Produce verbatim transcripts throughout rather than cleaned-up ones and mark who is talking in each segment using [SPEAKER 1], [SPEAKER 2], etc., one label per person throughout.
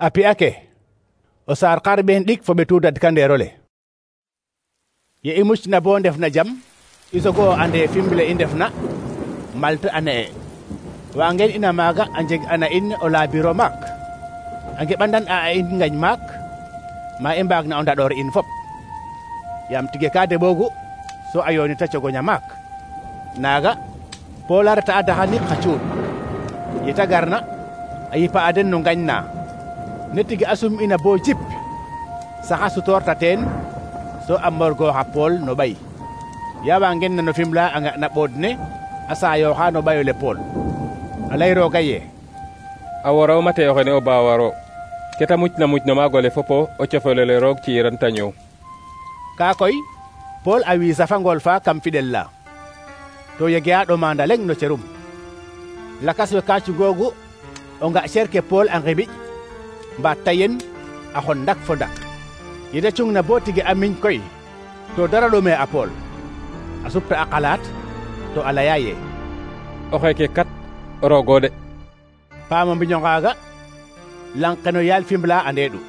[SPEAKER 1] A pi'a ke o saar xarɓeen ɗik fo ɓetu dadkandeer ole. Ye i mucna bo ndef na jam i sogo ande Fimble i ndefna Malte a ne'e waangeen ina maaga a njeg ana in o laabiro maak a ngeɓandan a in ngañ maak ma i mbaagna o ndaɗoor in fop yaam tige ka deɓoogu so a yoonita cogoña maak. Naaga Pool a reta a daxanik xa cuuɗ ye ta garna a yipa a den no ngañ na ne tige a sum ina bo jip saxa sutoorta teen so a morgooxa Pool no ɓay. Ya waangeen na no Fimela a nga na ɓood ne a saayooxa no ɓayole Pool a lay rooga ye
[SPEAKER 2] a wora o mate oxene o baawaro keta mucna muc no maagole fopo o cofolole roog ci'iran ta ñoow.
[SPEAKER 1] Kaa koy Pool a wiisa fa ngool fa kam fiɗel la to yege a ɗomanda leŋ no cerum. Lakas we ka cugoogu o nga cer ke Pool a ngiɓiƴ mbaat tayen a xon ndak fo ndak. Ye da cungna bo tige a miñ koy to dara ɗome a Pool a supta a xalaat to a laya ye
[SPEAKER 2] o xeeke kat roogo de.
[SPEAKER 1] Paam o mbiño ngaaga lang ke no yaal Fimela ande ɗu.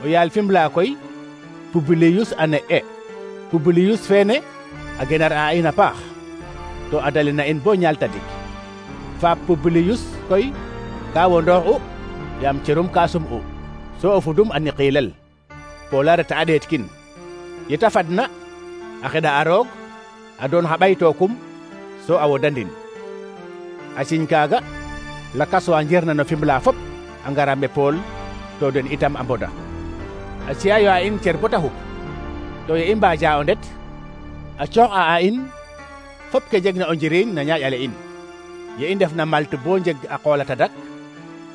[SPEAKER 1] O yaal Fimela koy Publiyus a ne'e. Publiyus feene a genar a in a paax to a dalina in bo ñaal tadik. Faap Publiyus koy ka wondoox u yaam cerum ka sum'u so o fudum a niqiilel. Pool a reta a ɗeetkin ye ta fadna a xeɗa a roog a doon xa ɓaytookum so a wodandin. A ciñ kaaga lakas wa njeerna no Fimela fop a ngara me Pool to den itam a mboda. A ci'ayo a in cer bota xup to ye i mbaaja o ndet a coox a a in fop ke jegna o njiriñ na ñaaƴale in. Ye i ndef na Malte bo njeg a qool a tadak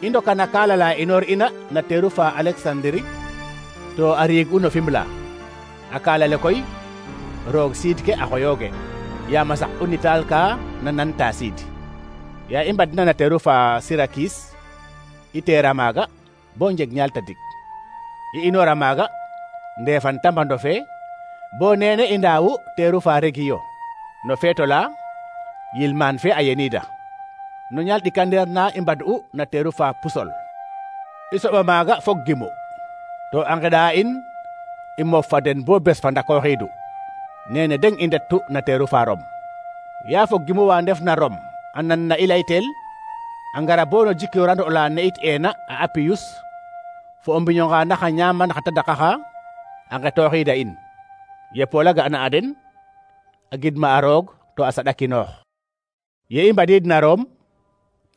[SPEAKER 1] i ndoka na kaala la inoor ina na teeru fa Alexandri to a riig'u no Fimela. A kaala le koy roog siid ke a xoyooge yaam a saq u nitaal ka na nanta siid. Ya i mbadna na teeru fa Sirakis i teera maaga bo njeg ñaal tadik. I inoora maaga ndeefan tambando fe bo neene i ndaawu teeru fa Regiyo no feeto la yilmaan fe a yeniida. No ñaal ɗikandeer na i mbad'u na teeru fa Pusol. I soɓa maaga fog gimu to a ngeɗa in i moof fa den bo bes fa ndakooxiidu. Neene deng i ndettu na teeru fa Rom. Ya fog gimu wa ndef na Rom a nan na i laytel a ngara bo no jikiorand ola ne'it eena a Apiyus fo o mbiño nga nax a ñaaman xa tadak axa a ngetooxiida in. Ye Pool a ga'na a den a gidma a roog to a saɗakinoox. Ye i mbadiid na Rom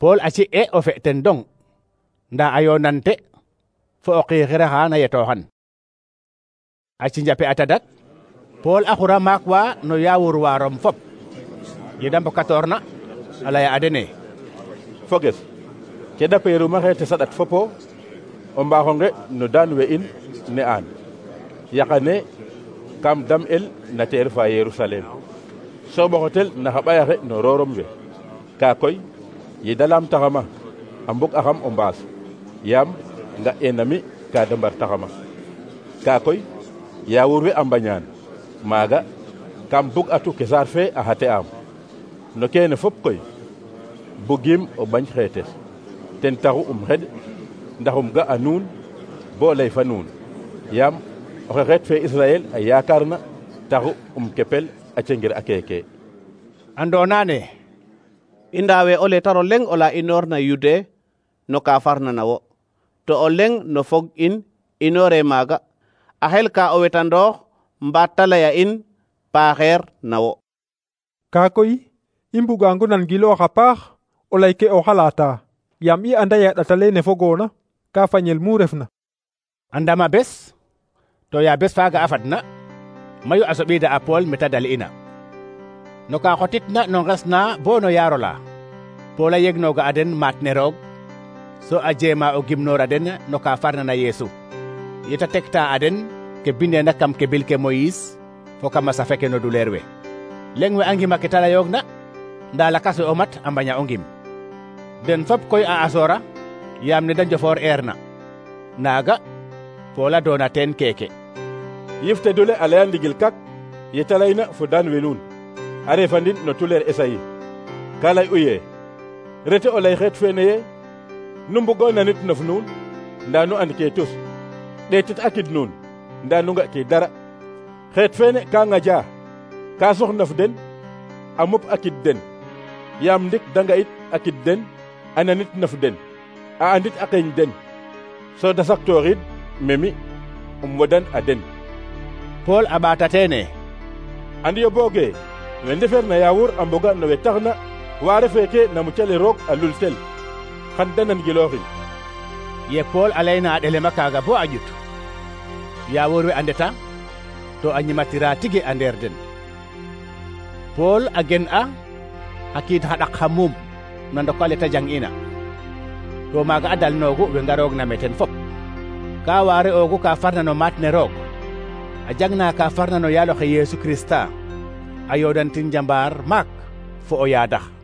[SPEAKER 1] Pool a ci'e o fe ten dong nda a yoonante fo o xiixira xa na yetooxan. A cinjape a tadak Pool a xura maak wa no yaawur wa Rom fop. Ye da mbokatoorna a laya a dene
[SPEAKER 3] foges ke da peeruma xeete saɗat fopo o mbaaxonge no daan we in ne aan yaqane kam dam el na teer fa Yerusalem so ɓoxotel na xa ɓayaxe no roorom we. Kaa koy ye da laamtaxama a mbug axam o mbaas yaam nga enami ka da mbartaxama. Kaa koy yaawur we a mbañaan maaga kam bug atu ke saar fe a xate am no keene fop koy bugiim o bañ xeetes ten taxu um xeɗ ndax um ga a nuun bo lay fa nuun yaam oxe xeet fe Israel a yaakaarna taxu um kepel a cengir a keeke.
[SPEAKER 1] Andoona ne
[SPEAKER 4] i ndaawe o letaro leŋ ola inoorna Yude no ka farna na wo to o leŋ no fog in inoore maaga a xel ka o wetandoox mbaat ta laya in paaxeer na wo.
[SPEAKER 5] Kaa koy i mbugango nangiloox a paax o lay ke o xalaata yaam i anda ye a ɗat alene fogoona ka fañel mu refna.
[SPEAKER 1] A ndama bes to ya bes faaga a fadna mayu a soɓiida a Pool meta dal'ina no ka xotitna no nges na bo no yaaro la. Pool a yegnooga a den maat ne roog so a jeema o gimnoor a den no ka farna na Yeesu. Ye ta tekta a den ke bindeena kam kebil ke Moyis fo kam a safe ke no duleer we. Leŋ we a ngima ke ta layoogna nda lakas we o mat a mbaña o ngim. Den fop koy a asoora yaam ne da njofoor eerna. Naaga Pool a doona teen keeke.
[SPEAKER 3] Yifte dule a laya ndigil kak ye ta layna fo daan we nuun a refandin no tuleer Esayi ka lay u ye rete o lay xeet feene ye nu mbugo nanit nof nuun nda nu and ke tus ɗeetit akid nuun nda nu nga ke dara xeet feene ka ŋaja ka soxnaf den a mop akid den yaam ndik danga it akid den a nanit naf den a andit a qeeñ den so da saktooxid memi um wodan a den.
[SPEAKER 1] Pool a ɓaata teene:
[SPEAKER 3] andiyo booge we ndeferna yaawur a mboga no we taxna waare feeke na mucale roog a lultel xan da nan gilooxin.
[SPEAKER 1] Ye Pool a layna a ɗelema kaaga bo a ƴut yaawur we a ndeta to a ñimatira tigi a ndeer den. Pool a gen a xa kiid xa ɗak xa muum na ndok ale ta jang'ina to maaga a dalnoogu we ngaroogna me ten fop ka waare oogu ka farna no maat ne roog a jangna ka farna no yaaloxe Yeesu Kirista a yoodantin njambaar maak fo o yaadax.